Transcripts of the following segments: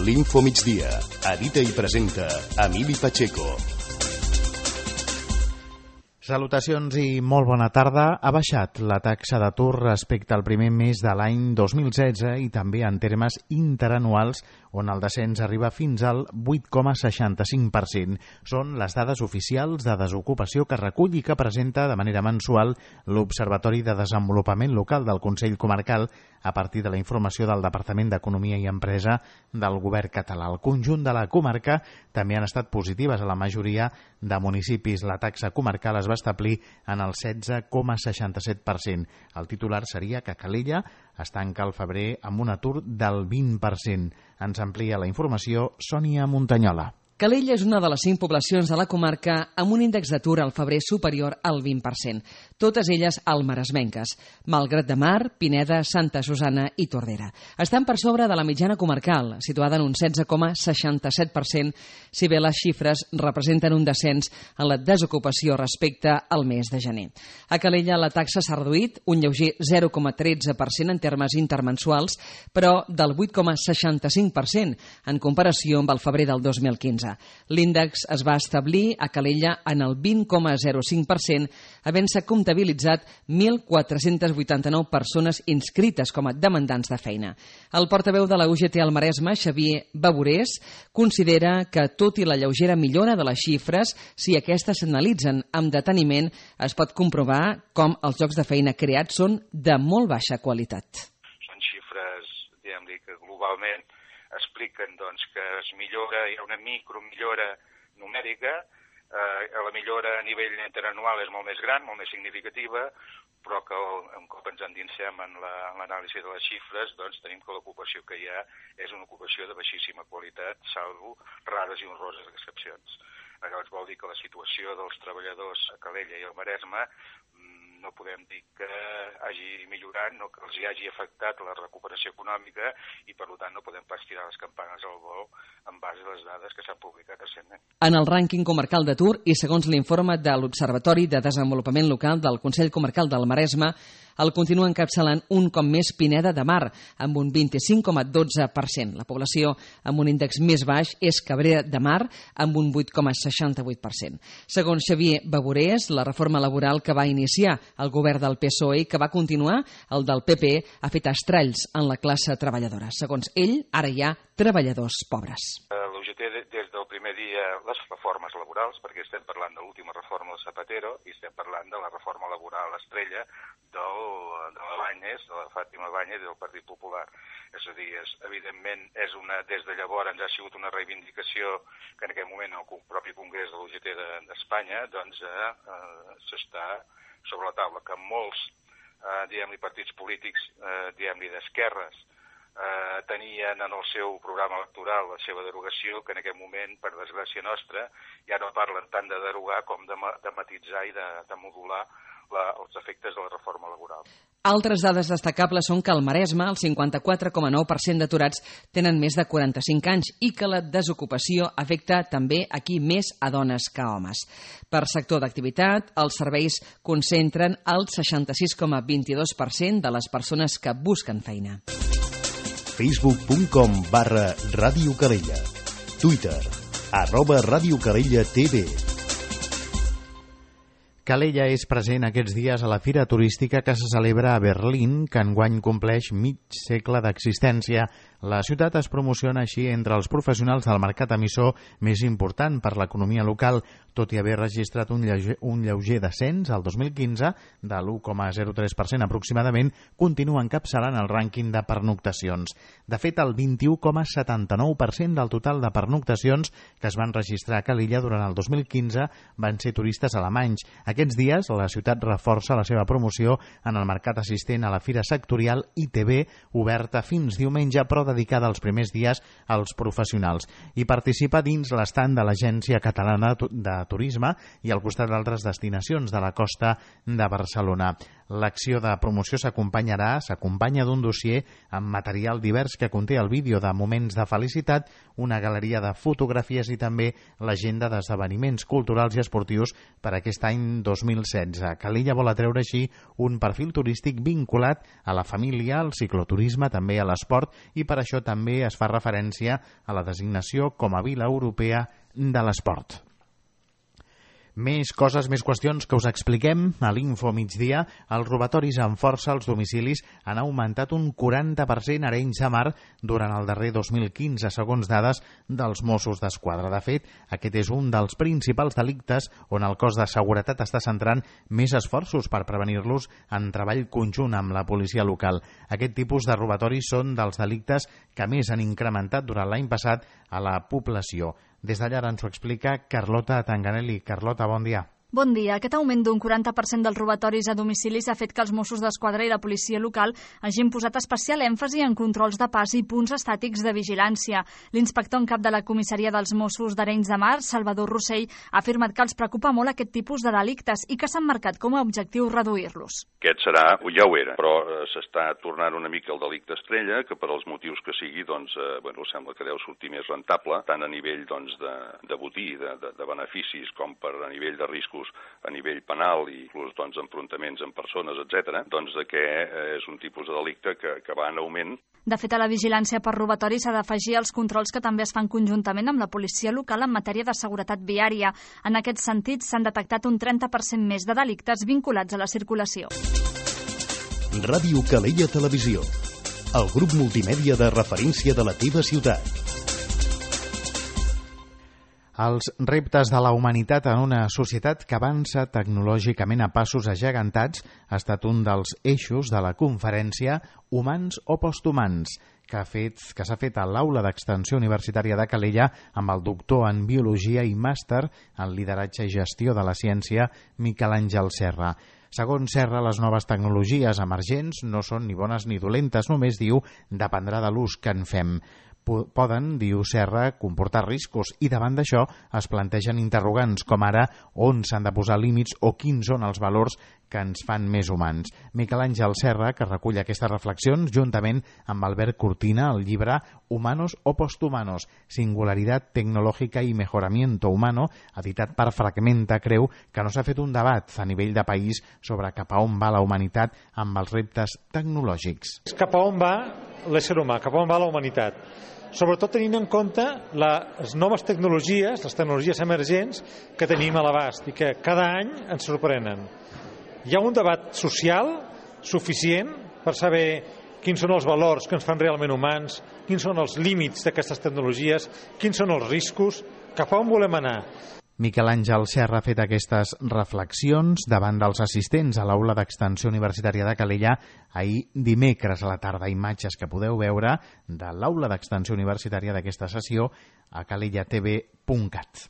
L'Info Migdia. Edita i presenta Emili Pacheco. Salutacions i molt bona tarda. Ha baixat la taxa d'atur respecte al primer mes de l'any 2016 i també en termes interanuals, on el descens arriba fins al 8,65%. Són les dades oficials de desocupació que recull i que presenta de manera mensual l'Observatori de Desenvolupament Local del Consell Comarcal a partir de la informació del Departament d'Economia i Empresa del Govern català. El conjunt de la comarca també han estat positives a la majoria de municipis. La taxa comarcal es va establir en el 16,67%. El titular seria que Calella es tanca al febrer amb un atur del 20%. Ens amplia la informació Sònia Montanyola. Calella és una de les 5 poblacions de la comarca amb un índex d'atur al febrer superior al 20%, totes elles almaresmenques, Malgrat de Mar, Pineda, Santa Susanna i Tordera. Estan per sobre de la mitjana comarcal, situada en un 16,67%, si bé les xifres representen un descens en la desocupació respecte al mes de gener. A Calella la taxa s'ha reduït un lleuger 0,13% en termes intermensuals, però del 8,65% en comparació amb el febrer del 2015. L'índex es va establir a Calella en el 20,05%, havent-se comptabilitzat 1.489 persones inscrites com a demandants de feina. El portaveu de la UGT al Maresme, Xavier Baburés, considera que, tot i la lleugera millora de les xifres, si aquestes s'analitzen amb deteniment, es pot comprovar com els llocs de feina creats són de molt baixa qualitat. Són xifres, diguem-li, que globalment expliquen que es millora, hi ha una micromillora numèrica, la millora a nivell interanual és molt més gran, molt més significativa, però que un cop ens endinsem en l'anàlisi de les xifres, tenim que l'ocupació que hi ha és una ocupació de baixíssima qualitat, salvo rares i honroses excepcions. Llavors vol dir que la situació dels treballadors a Calella i al Maresme no podem dir que hagi millorat, no que els hi hagi afectat la recuperació econòmica i, per tant, no podem pas tirar les campanes al vol en base a les dades que s'han publicat recentment. En el rànquing comarcal d'atur i segons l'informe de l'Observatori de Desenvolupament Local del Consell Comarcal del Maresme, el continua encapçalant un cop més Pineda de Mar, amb un 25,12%. La població amb un índex més baix és Cabrera de Mar, amb un 8,68%. Segons Xavier Baburés, la reforma laboral que va iniciar el govern del PSOE i que va continuar el del PP ha fet estralls en la classe treballadora. Segons ell, ara hi ha treballadors pobres. L'UGT des del primer dia les reformes laborals, perquè estem parlant de l'última reforma del Zapatero i estem parlant de la reforma laboral estrella de la Báñez, de la Fàtima Báñez i del Partit Popular. És a dir, evidentment, des de llavors ha sigut una reivindicació que en aquest moment el propi Congrés de l'UGT d'Espanya s'està sobre la taula, que molts partits polítics d'esquerres tenien en el seu programa electoral la seva derogació, que en aquest moment, per desgràcia nostra, ja no parlen tant de derogar com de matitzar i de modular els efectes de la reforma laboral. Altres dades destacables són que al Maresme el 54,9% d'aturats tenen més de 45 anys i que la desocupació afecta també aquí més a dones que a homes. Per sector d'activitat, els serveis concentren el 66,22% de les persones que busquen feina. Facebook.com/Ràdio Calella. Twitter @Ràdio Calella TV. Calella és present aquests dies a la fira turística que se celebra a Berlín, que enguany compleix mig segle d'existència. La ciutat es promociona així entre els professionals del mercat emissor més important per l'economia local, tot i haver registrat un lleuger descens al 2015 de l'1,03% aproximadament, continua encapçalant el rànquing de pernoctacions. De fet, el 21,79% del total de pernoctacions que es van registrar a Calella durant el 2015 van ser turistes alemanys. Aquests dies, la ciutat reforça la seva promoció en el mercat assistent a la fira sectorial ITB, oberta fins diumenge, però dedicada els primers dies als professionals. I participa dins l'estand de l'Agència Catalana de Turisme i al costat d'altres destinacions de la costa de Barcelona. L'acció de promoció s'acompanya d'un dossier amb material divers que conté el vídeo de moments de felicitat, una galeria de fotografies i també l'agenda d'esdeveniments culturals i esportius per aquest any 2016. Calella vol atreure així un perfil turístic vinculat a la família, al cicloturisme, també a l'esport, i per això també es fa referència a la designació com a Vila Europea de l'Esport. Més coses, més qüestions que us expliquem a l'Info Migdia. Els robatoris amb força als domicilis han augmentat un 40% a Arenys de Mar durant el darrer 2015, segons dades dels Mossos d'Esquadra. De fet, aquest és un dels principals delictes on el cos de seguretat està centrant més esforços per prevenir-los en treball conjunt amb la policia local. Aquest tipus de robatoris són dels delictes que més han incrementat durant l'any passat a la població. Des d'allà ens ho explica Carlota Tanganelli. Carlota, bon dia. Bon dia. Aquest augment d'un 40% dels robatoris a domicilis ha fet que els Mossos d'Esquadra i la policia local hagin posat especial èmfasi en controls de pas i punts estàtics de vigilància. L'inspector en cap de la comissaria dels Mossos d'Arenys de Mar, Salvador Rossell, ha afirmat que els preocupa molt aquest tipus de delictes i que s'han marcat com a objectiu reduir-los. Aquest serà, ja ho era, però s'està tornant una mica el delicte estrella, que per als motius que sigui, sembla que deu sortir més rentable, tant a nivell de botí, de beneficis, com per a nivell de riscos a nivell penal i inclús enfrontaments amb persones, etc., que és un tipus de delicte que va en augment. De fet, a la vigilància per robatori s'ha d'afegir els controls que també es fan conjuntament amb la policia local en matèria de seguretat viària. En aquest sentit, s'han detectat un 30% més de delictes vinculats a la circulació. Ràdio Calella Televisió, el grup multimèdia de referència de la teva ciutat. Els reptes de la humanitat en una societat que avança tecnològicament a passos agegantats ha estat un dels eixos de la conferència Humans o Posthumans, que s'ha fet a l'Aula d'Extensió Universitària de Calella amb el doctor en Biologia i màster en Lideratge i Gestió de la Ciència, Miquel Àngel Serra. Segons Serra, les noves tecnologies emergents no són ni bones ni dolentes, només diu dependrà de l'ús que en fem. Poden, diu Serra, comportar riscos i davant d'això es plantegen interrogants com ara on s'han de posar límits o quins són els valors que ens fan més humans. Miquel Àngel Serra, que recull aquestes reflexions juntament amb Albert Cortina, el llibre Humanos o Posthumanos, Singularidad Tecnológica y Mejoramiento Humano, editat per Fragmenta, creu que no s'ha fet un debat a nivell de país sobre cap a on va la humanitat amb els reptes tecnològics. Cap a on va l'ésser humà, cap a on va la humanitat. Sobretot tenint en compte les noves tecnologies, les tecnologies emergents que tenim a l'abast i que cada any ens sorprenen. Hi ha un debat social suficient per saber quins són els valors que ens fan realment humans, quins són els límits d'aquestes tecnologies, quins són els riscos, cap a on volem anar. Miquel Àngel Serra ha fet aquestes reflexions davant dels assistents a l'Aula d'Extensió Universitària de Calella ahir dimecres a la tarda. Imatges que podeu veure de l'Aula d'Extensió Universitària d'aquesta sessió a calellatv.cat.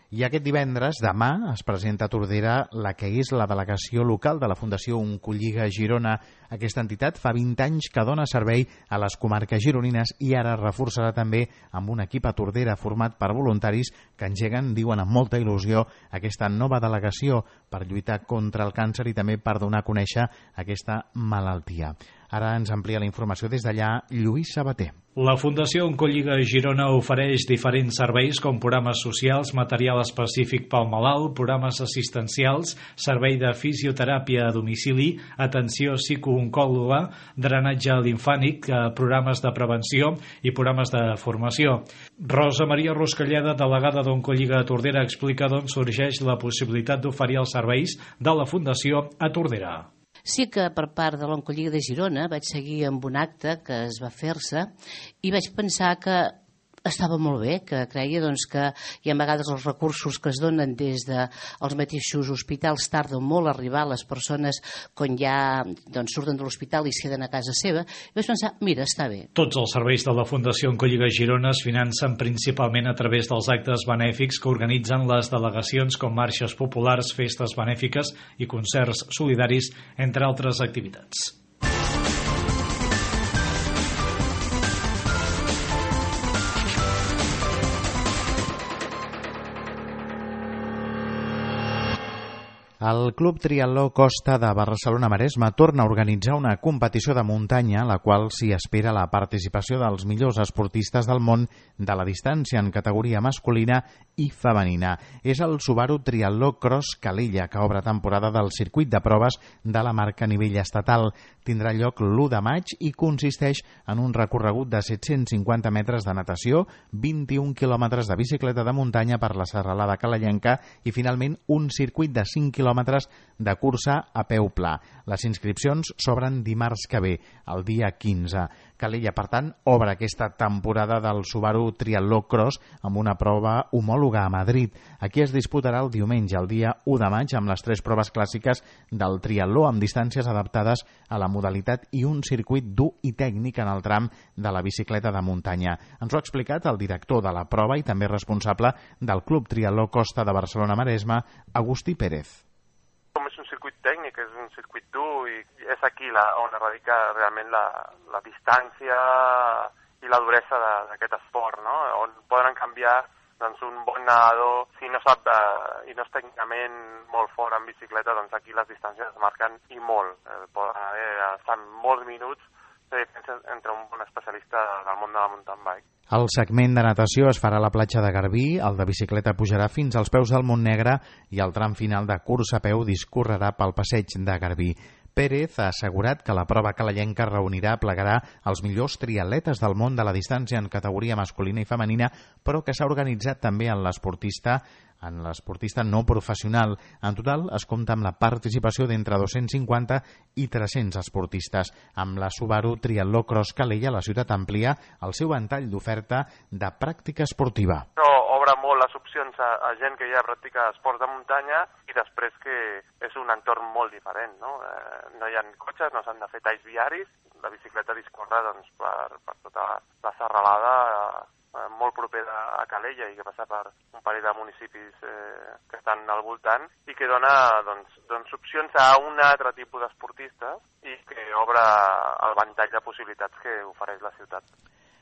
I aquest divendres, demà, es presenta a Tordera la que és la delegació local de la Fundació Oncolliga Girona. Aquesta entitat fa 20 anys que dona servei a les comarques gironines i ara reforçarà també amb un equip a Tordera format per voluntaris que engeguen, diuen amb molta il·lusió, aquesta nova delegació per lluitar contra el càncer i també per donar a conèixer aquesta malaltia. Ara ens amplia la informació des d'allà Lluís Sabater. La Fundació Oncolliga Girona ofereix diferents serveis com programes socials, material específic pel malalt, programes assistencials, servei de fisioteràpia a domicili, atenció psicooncòloga, drenatge linfànic, programes de prevenció i programes de formació. Rosa Maria Ruscalleda, delegada d'Oncolliga a Tordera, explica d'on sorgeix la possibilitat d'oferir els serveis de la Fundació a Tordera. Sí que per part de l'Oncolliga de Girona vaig seguir amb un acte que es va fer-se i vaig pensar que estava molt bé, que creia que hi ha a vegades els recursos que es donen des dels mateixos hospitals tarden molt a arribar a les persones quan ja surten de l'hospital i es queden a casa seva. I vaig pensar, mira, està bé. Tots els serveis de la Fundació Oncolliga Girona es financen principalment a través dels actes benèfics que organitzen les delegacions com marxes populars, festes benèfiques i concerts solidaris, entre altres activitats. El Club Triatló Costa de Barcelona-Maresme torna a organitzar una competició de muntanya en la qual s'hi espera la participació dels millors esportistes del món de la distància en categoria masculina i femenina. És el Subaru Triatló Cross Calella, que obre temporada del circuit de proves de la marca a nivell estatal. Tindrà lloc l'1 de maig i consisteix en un recorregut de 750 metres de natació, 21 quilòmetres de bicicleta de muntanya per la serralada calellenca i finalment un circuit de 5 quilòmetres de cursa a peu pla. Les inscripcions s'obren dimarts que ve, el dia 15. Calella, per tant, obre aquesta temporada del Subaru Triatló Cross amb una prova homòloga a Madrid. Aquí es disputarà el diumenge, el dia 1 de maig, amb les 3 proves clàssiques del triatló amb distàncies adaptades a la modalitat i un circuit dur i tècnic en el tram de la bicicleta de muntanya. Ens ho ha explicat el director de la prova i també responsable del Club Triatló Costa de Barcelona-Maresme, Agustí Pérez. Com és un circuit tècnic, és un circuit dur i és aquí on radica realment la distància i la duresa d'aquest esport, no? On poden canviar doncs, un bon nedador, si no sap i no és tècnicament molt fort en bicicleta, doncs aquí les distàncies es marquen i molt. Poden estar molts minuts de diferència entre un bon especialista del món de la mountain bike. El segment de natació es farà a la platja de Garbí, el de bicicleta pujarà fins als peus del Montnegre i el tram final de cursa a peu discorrerà pel passeig de Garbí. Pérez ha assegurat que la prova calellenca plegarà els millors triatletes del món de la distància en categoria masculina i femenina, però que s'ha organitzat també en l'esportista no professional. En total es compta amb la participació d'entre 250 i 300 esportistes. Amb la Subaru Triatló Cross Calella, la ciutat amplia el seu ventall d'oferta de pràctica esportiva. Obre molt les opcions a gent que ja practica esports de muntanya i després que és un entorn molt diferent, no? No hi ha cotxes, no s'han de fer talls viaris, la bicicleta discorre doncs, per tota la serralada molt propera a Calella i que passa per un parell de municipis que estan al voltant i que dona doncs, opcions a un altre tipus d'esportistes i que obre el ventall de possibilitats que ofereix la ciutat.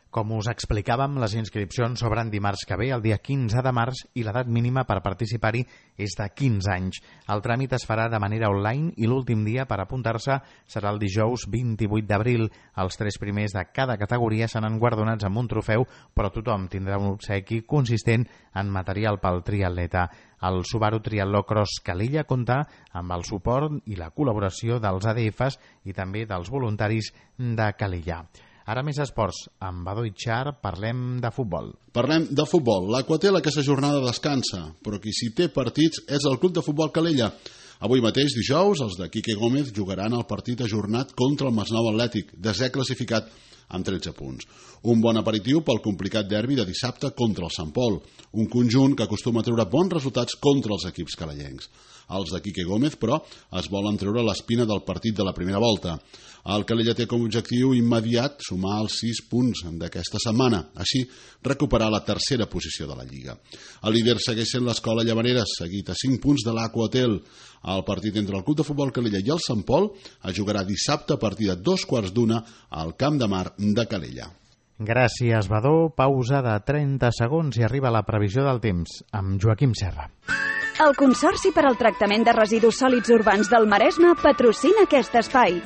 Com us explicàvem, les inscripcions s'obren dimarts que ve, el dia 15 de març, i l'edat mínima per participar-hi és de 15 anys. El tràmit es farà de manera online i l'últim dia per apuntar-se serà el dijous 28 d'abril. Els 3 primers de cada categoria seran guardonats amb un trofeu, però tothom tindrà un obsequi consistent en material pel triatleta. El Subaru Triatló Cross Calella compta amb el suport i la col·laboració dels ADFs i també dels voluntaris de Calella. Ara més esports. Amb Badó i Char parlem de futbol. Parlem de futbol. L'Aquatel aquesta jornada descansa, però qui s'hi té partits és el Club de Futbol Calella. Avui mateix, dijous, els de Quique Gómez jugaran el partit ajornat contra el Masnou Atlètic, desè classificat amb 13 punts. Un bon aperitiu pel complicat derbi de dissabte contra el Sant Pol, un conjunt que acostuma a treure bons resultats contra els equips calellencs. Els de Quique Gómez, però, es volen treure l'espina del partit de la primera volta. El Calella té com a objectiu immediat sumar els 6 punts d'aquesta setmana, així recuperar la tercera posició de la Lliga. El líder segueix sent l'Escola Llavaneres, seguit a 5 punts de l'Aquatel. El partit entre el Club de Futbol Calella i el Sant Pol es jugarà dissabte a partir de 2:15 al Camp de Mar de Calella. Gràcies, Badó. Pausa de 30 segons i arriba la previsió del temps amb Joaquim Serra. El Consorci per al Tractament de Residus Sòlids Urbans del Maresme patrocina aquest espai.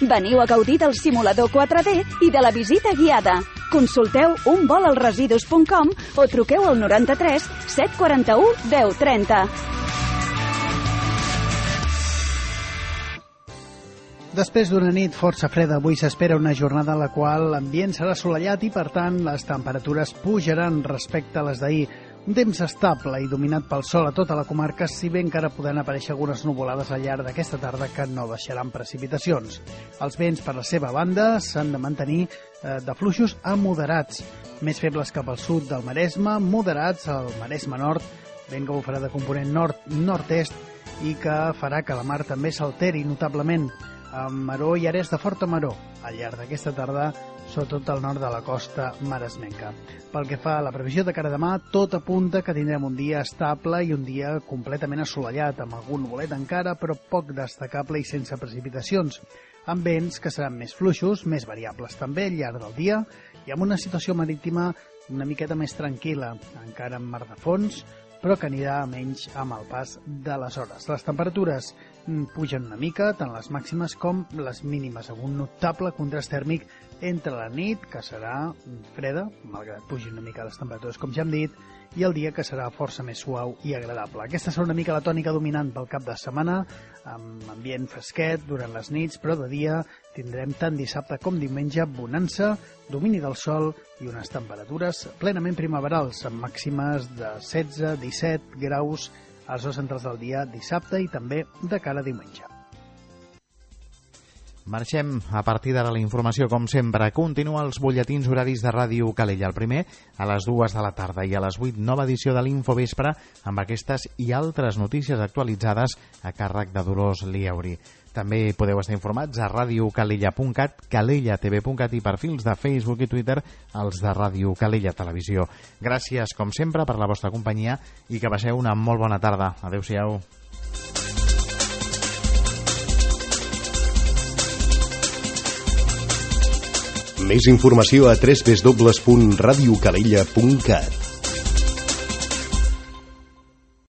Veniu a gaudir del simulador 4D i de la visita guiada. Consulteu unvolalresidus.com o truqueu al 93 741 1030. Després d'una nit força freda, avui s'espera una jornada en la qual l'ambient serà assolellat i, per tant, les temperatures pujaran respecte a les d'ahir. Un temps estable i dominat pel sol a tota la comarca, si bé encara poden aparèixer algunes nuvolades al llarg d'aquesta tarda que no deixaran precipitacions. Els vents, per la seva banda, s'han de mantenir de fluixos a moderats, més febles cap al sud del Maresme, moderats al Maresme Nord, vent que bufarà de component nord-nord-est i que farà que la mar també s'alteri notablement, amb maror i àrees de forta maror al llarg d'aquesta tarda, sobretot al nord de la costa maresmenca. Pel que fa a la previsió de cara a demà, tot apunta que tindrem un dia estable i un dia completament assolellat, amb algun nuvolet encara, però poc destacable i sense precipitacions, amb vents que seran més fluixos, més variables també al llarg del dia, i amb una situació marítima una miqueta més tranquil·la, encara amb mar de fons, però que anirà menys amb el pas de les hores. Les temperatures pugen una mica, tant les màximes com les mínimes, amb un notable contrast tèrmic entre la nit, que serà freda, malgrat pugin una mica les temperatures, com ja hem dit, i el dia, que serà força més suau i agradable. Aquesta serà una mica la tònica dominant pel cap de setmana, amb ambient fresquet durant les nits, però de dia tindrem tant dissabte com diumenge bonança, domini del sol i unes temperatures plenament primaverals, amb màximes de 16-17 graus a les hores centrals del dia dissabte i també de cara a diumenge. Marxem a partir d'ara la informació, com sempre. Continua els butlletins horaris de Ràdio Calella. El primer a les 2 de la tarda i a les 8, nova edició de l'Infovespre amb aquestes i altres notícies actualitzades a càrrec de Dolors Liauri. També podeu estar informats a radiocalella.cat, calellatv.cat i perfils de Facebook i Twitter, els de Ràdio Calella Televisió. Gràcies, com sempre, per la vostra companyia i que passeu una molt bona tarda. Adéu-siau. Més informació a www.radiocalella.cat.